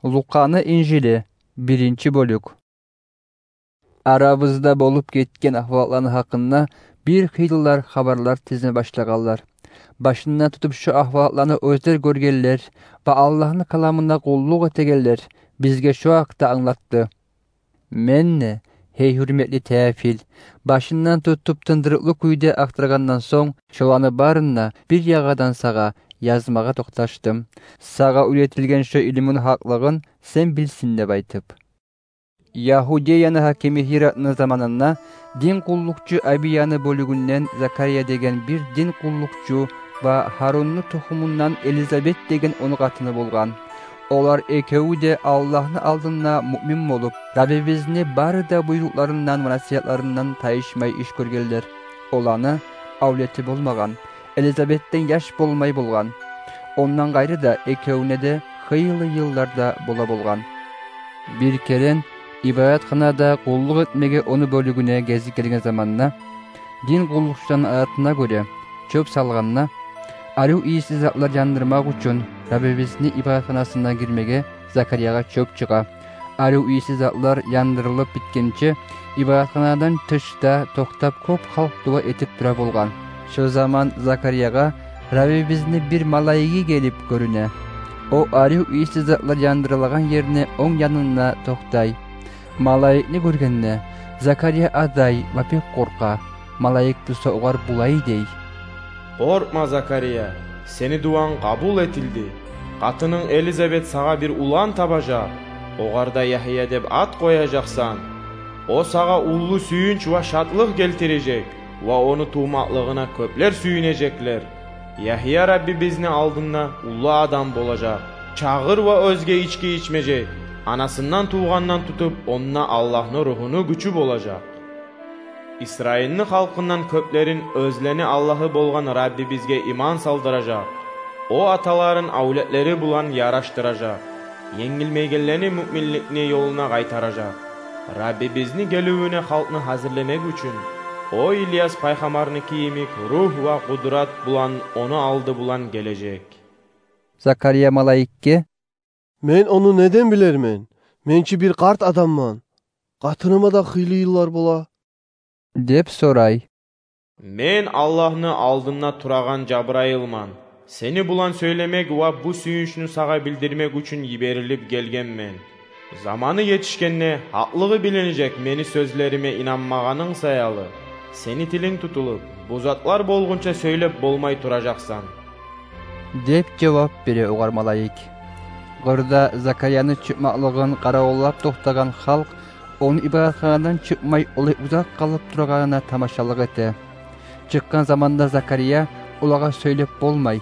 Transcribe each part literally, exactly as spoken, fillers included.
Лукъаны инжили, биринчи бёлюк. Арабызда болуп гетген агьвалатланы гьакъында бир хыйлылар хабарлар тизме башлагъанлар. Башындан тутуп шо агьвалатланы оьзлер гёргенлер ва Аллагьны каламына къуллукъ этегенлер бизге шо гьакъда англатды. Мен де, гьей гьюрметли Теофил, башындан тутуп тындырыкълы кюйде ахтаргъандан сонг, шоланы барын да бир ягъадан сагъа язмагъа токъташдым. Сагъа уьйретилген шо илмуну гьакълыгъын сен билсин деп айтып. Ягьудияны гьакими Гьиратны заманында дин къуллукъчу Абияны бёлюгюнден Закария деген бир дин къуллукъчу ва Гьарунну тухумундан Элизабет деген ону къатыны болгъан. Олар экеви де Аллагьны алдында муъмин болуп, Раббибизни бары да буйрукъларындан ва насигьатларындан тайышмай иш гёргенлер. Оланы авлети болмагъан, Элизабетден яш болмай болгъан. Ондан къайры да экевюне де хыйлы йыллар да бола болгъан. Бир керен ибадатханада къуллукъ этмеге ону бёлюгюне гезик гелген заманда, дин къуллукъчуланы адатына гёре, чёп салгъанда, арив ийиси затлар яндырмакъ учун Раббибизни ибадатханасына гирмеге Закариягъа чёп чыгъа. Арив ийиси затлар яндырылып битгенче, ибадатханадан тышда токътап кёп халкъ дуа этип тура болгъан. Шо заман Закариягъа Раббибизни бир малайиги гелип гёрюне. О арив ийиси затлар яндырылагъан ерни онг янында токътай. Малайикни гёргенде, Закария адай ва бек къоркъа. Малайик буса огъар булай дей: «Къоркъма, Закария, сени дуанг къабул этилди. Къатынынг Элизабет сагъа бир улан табажакъ, огъар да Ягьия деп ат къояжакъсан. О сагъа уллу сююнч ва шатлыкъ гелтирежек, ва ону тувмакълыгъына кёплер сююнежеклер. Ягьия Раббибизни алдында уллу адам болажакъ. Чагъыр ва оьзге ички ичмежек. Анасындан тувгъандан тутуп, онда Аллагьны Ругьуну гючю болажакъ. Исраилни халкъындан кёплерин оьзлени Аллагьы болгъан Раббибизге иман салдыражакъ. О аталарын авлетлери булан ярашдыражакъ. Енгилмейгенлени муъминликни ёлуна къайтаражакъ. Раббибизни геливюне халкъны гьазирлемек учун, о Ильяс пайхаммарныки йимик ругь ва къудрат булан ону алды булан гележек». Закария малайикге: «Мен ону неден билермен? Мен чи бир къарт адамман. Къатыныма да хыйлы йыллар бола», — деп сорай. «Мен Аллагьны алдында турагъан Жабрайылман. Сени булан сёйлемек ва бу сююнчню сагъа билдирмек учун йиберилип гелгенмен. Заманы етишгенде, гьакълыгъы билинежек мени сёзлериме инанмагъанынг саялы, сени тилинг тутулуп, бу затлар болгъунча сёйлеп болмай туражакъсан», — деп жавап бере огъар малайик. Къырда Закарияны чыкъмакълыгъын къаравуллап токътагъан халкъ ону ибадатханадан чыкъмай олай узакъ къалып турагъанына тамашалыкъ эте. Чыкъгъан заманда Закария олагъа сёйлеп болмай.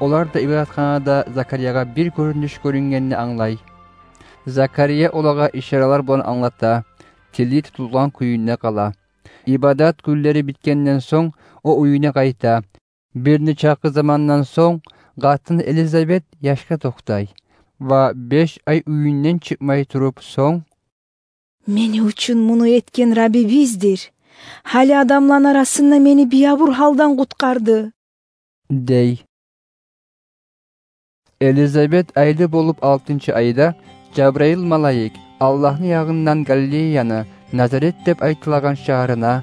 Олар да ибадатханада Закариягъа бир гёрюнюш гёрюнгенни англай. Закария олагъа ишаралар булан англата, тили тутулгъан кюйюнде къала. Ибадат гюнлери битгенден сонг, о уьюне къайта. Бир нечакъы замандан сонг, къатыны Элизабет яшгъа токътай ва беш ай уьюнден чыкъмай туруп сонг: «Мени учун муну этген Раббибиздир. Гьали адамланы арасында мени биябур гьалдан къутгъарды», — дей. Элизабет айлы болуп алтынчы айда Жабрайыл малайик Аллагьны ягъындан Галилеяны Назарет деп айтылагъан шагьарына,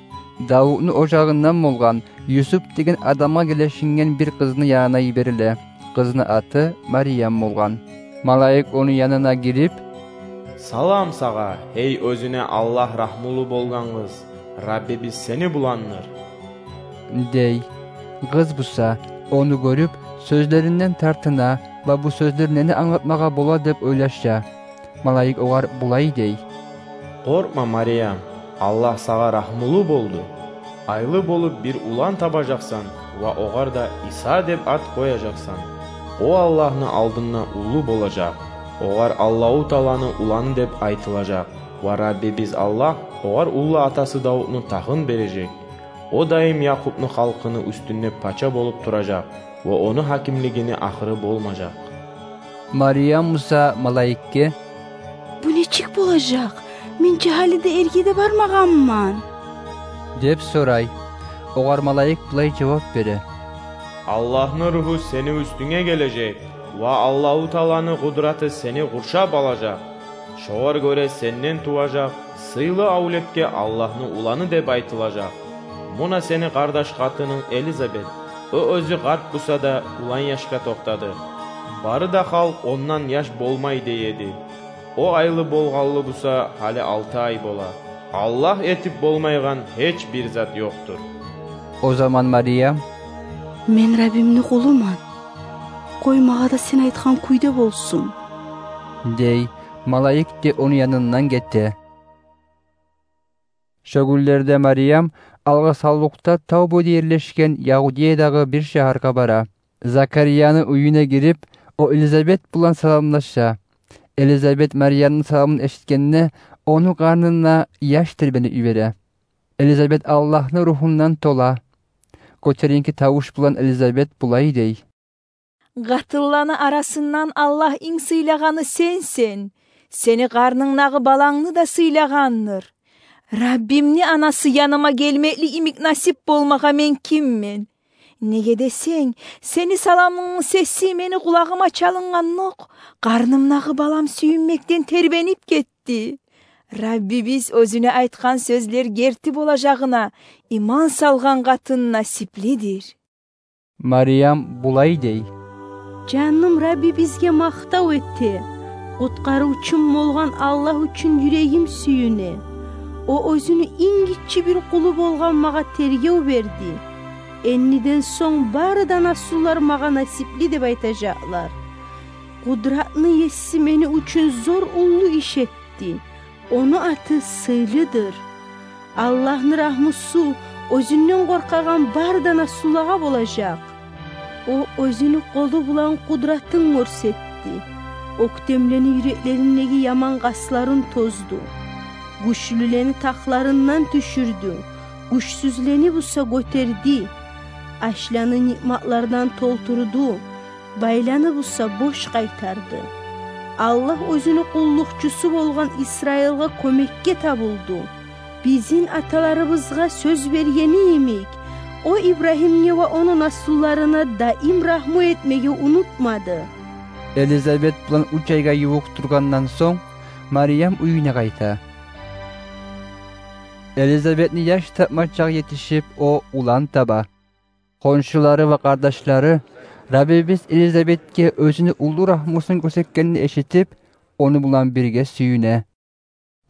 Давутну ожагъындан болгъан Юсуп деген адамгъа гелешинген бир къызны янына йибериле. Къызны аты Мариям болгъан. Малайик ону янына гирип: «Салам сагъа, гьей оьзюне Аллагь рагьмулу болгъан къыз, Раббибиз сени буландыр», — дей. Къыз буса, ону гёрюп, сёзлеринден тартына ва бу сёзлер нени англатмагъа бола деп ойлаша. Малайик огъар булай дей: «Къоркъма, Мариям, Аллагь сагъа рагьмулу болду. Айлы болуп бир улан табажакъсан ва огъар да Иса деп ат къояжакъсан. О Аллагьны алдында уллу болажакъ. Огъар Аллагьу Тааланы уланы деп айтылажакъ. Ва Раббибиз Аллагь огъар уллу атасы Давутну тахын бережек. О дайым Якъубну халкъыны уьстюнде пача болуп туражакъ, ва ону гьакимлигини ахыры болмажакъ». Мариям буса малайикге: «Бу нечик болажакъ? Мен чи гьали де эрге де бармагъанман», — деп сорай. Огъар малайик булай жавап бере: «Аллагьны Ругьу сени уьстюнге гележек, Ва Аллагьу Тааланы къудраты сени къуршап алажакъ. Шогъар гёре сенден туважакъ сыйлы авлетге Аллагьны уланы деп айтылажакъ. Муна сени къардаш къатынынг Элизабет. О оьзю къарт буса да, улан яшгъа токътады. Бары да халкъ ондан яш болмай дей эди. О айлы болгъанлы буса, гьали алты ай бола. Аллагь этип болмайгъан гьеч бир зат ёкъдур. О заман Мариям: «Мен Раббимни къулуман. Къой, магъа да сен айтгъан кюйде болсун», — дей. Малайик де ону янындан гете. Шо гюнлерде Мариям алгъасавлукъда тав бойда ерлешген Ягьудеядагъы бир шагьаргъа бара. Закарияны уьюне гирип, о Элизабет булан саламлаша. Элизабет Мариямны саламын эшитгенде, ону къарнына яш тербенип йибере. Элизабет Аллагьны Ругьундан тола. Гётеринки тавуш булан Элизабет булай дей: «Къатынланы арасындан Аллагь инг сыйлагъаны сенсен. Сени къарнынгдагъы балангны да сыйлагъандыр. Раббимни анасы яныма гелмекли йимик насип болмагъа мен киммен? Неге десенг, сени саламынгны сеси мени къулагъыма чалынгъандокъ, къарнымдагъы балам сююнмекден тербенип гетди. Раббибиз оьзюне айтгъан сёзлер герти болажагъына иман салгъан къатын насиплидир». Мариям булай дей: «Жаным Раббибизге макътав эте, къутгъарывчум болгъан Аллагь учун юрегим сююне. О оьзюню инг гиччи бир къулу болгъан магъа тергев берди. Энниден сонг бары да наслулар магъа насипли деп айтажакълар. Къудратны Еси мени учун зор уллу иш этди. Ону аты сыйлыдыр. Аллагьны рагьмусу оьзюнден къоркъагъан бары да наслулагъа болажакъ. О оьзюню къолу булан къудратынг гёрсетди. Оьктемлени юреклериндеги яман къасларын тозду. Гючлюлени тахларындан тюшюрдю, гючсюзлени буса гётерди. Ачланы ниъматлардан толтурду, байланы буса бош къайтарды. Аллагь оьзюню къуллукъчусу болгъан Исраилгъа кёмекге табулду. Бизин аталарыбызгъа сёз бергени йимик, о Ибрагьимге ва ону наслуларына даим рагьму этмеге унутмады». Элизабет булан уьч айгъа ювукъ тургъандан сонг, Мариям уьюне къайта. Элизабетни яш тапма чакъы етишип, о улан таба. Хоншулары ва къардашлары Раббибиз Элизабетге оьзюню уллу рагьмусун гёрсетгенни эшитип, ону булан бирге сююне.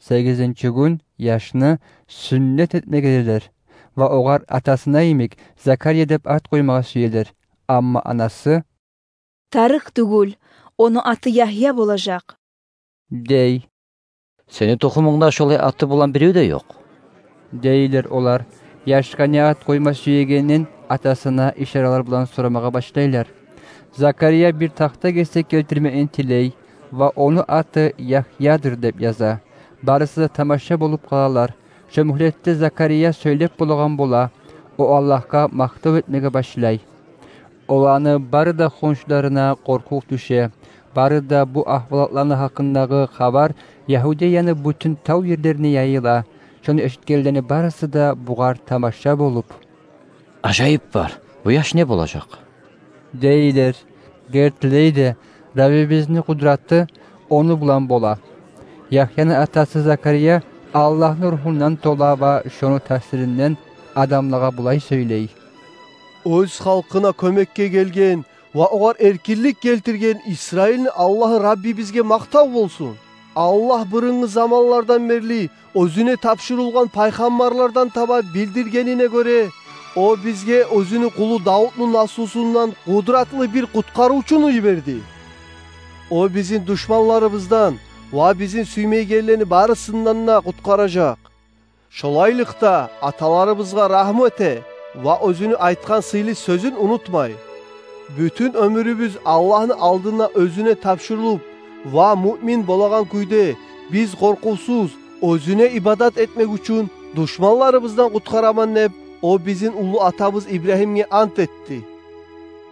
Сегизинчи гюн яшны сюннет этмеге гелелер ва огъар атасына йимик Закария деп ат къоймагъа сюелер. Амма анасы: «Тарыкъ тюгюл, ону аты Ягья болажакъ», — дей. «Сени тухумунгда шолай аты булан бирев де ёкъ», — дейлер олар. Яшгъа не ат къойма сюегенин атасына ишаралар булан сорамагъа башлайлар. Закария бир тахта гесек гелтирмекни тилей ва ону аты Ягьядыр деп яза. Барысы да тамаша болуп къалалар. Шо мюгьлетде Закария сёйлеп болагъан бола. О Аллагьгъа макътав этмеге башлай. Оланы бары да хоншуларына къоркъув тюше. Бары да бу агьвалатланы гьакъындагъы хабар Ягьудеяны бютюн тав ерлерине яйыла. Шону эшитгенлени барысы да бугъар тамаша болуп: «Ажайып бар, бу яш не болажакъ?» — дейлер. Гертилей де, Раббибизни къудраты ону булан бола. Ягьяны атасы Закария Аллагьны Ругьундан тола ва шону таъсиринден адамлагъа булай сёйлей: «Оьз халкъына кёмекге гелген ва огъар эркинлик гелтирген Исраилни Аллагьы Раббибизге макътав болсун. Аллагь бырынгъы заманлардан берли оьзюне тапшурулгъан пайхаммарлардан таба билдиргенине гёре, о бизге оьзюню къулу Давутну наслусундан къудратлы бир къутгъарывчуну йиберди. О бизин душманларыбыздан ва бизин сюймейгенлени барысындан да къутгъаражакъ. Шолайлыкъда аталарыбызгъа рагьму эте ва оьзюню айтгъан сыйлы сёзюн унутмай. Бютюн оьмюрюбюз Аллагьны алдына оьзюне тапшурулуп ва муъмин болагъан кюйде, биз къоркъувсуз оьзюне ибадат этмек учун душманларыбыздан къутгъараман деп, о бизин уллу атабыз Ибрагьимге ант этди.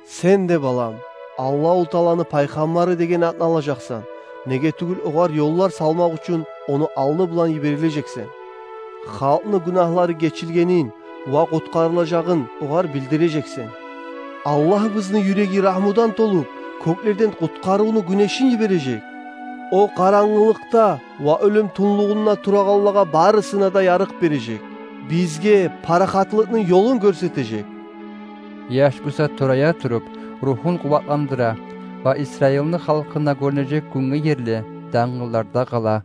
Сен де, балам, Аллагьу Тааланы пайхаммары деген атны алажакъсан. Неге тюгюл, огъар ёллар салмакъ учун ону алды булан йиберилежексен. Халкъны гюнагьлары гечилгенин ва къутгъарылажагъын огъар билдирежексен. Аллагьыбызны юреги рагьмудан толуп, кёклерден къутгъарывну гюнешин йибережек. О къарангылыкъда ва оьлюм тюнлюгюнде турагъанлагъа барысына да ярыкъ бережек. Бизге парахатлыкъны ёлун гёрсетежек. Яш буса турая туруп, рухун къуватландыра ва Исраилни халкъына гёрюнежек гюнге ерли дангылларда къала.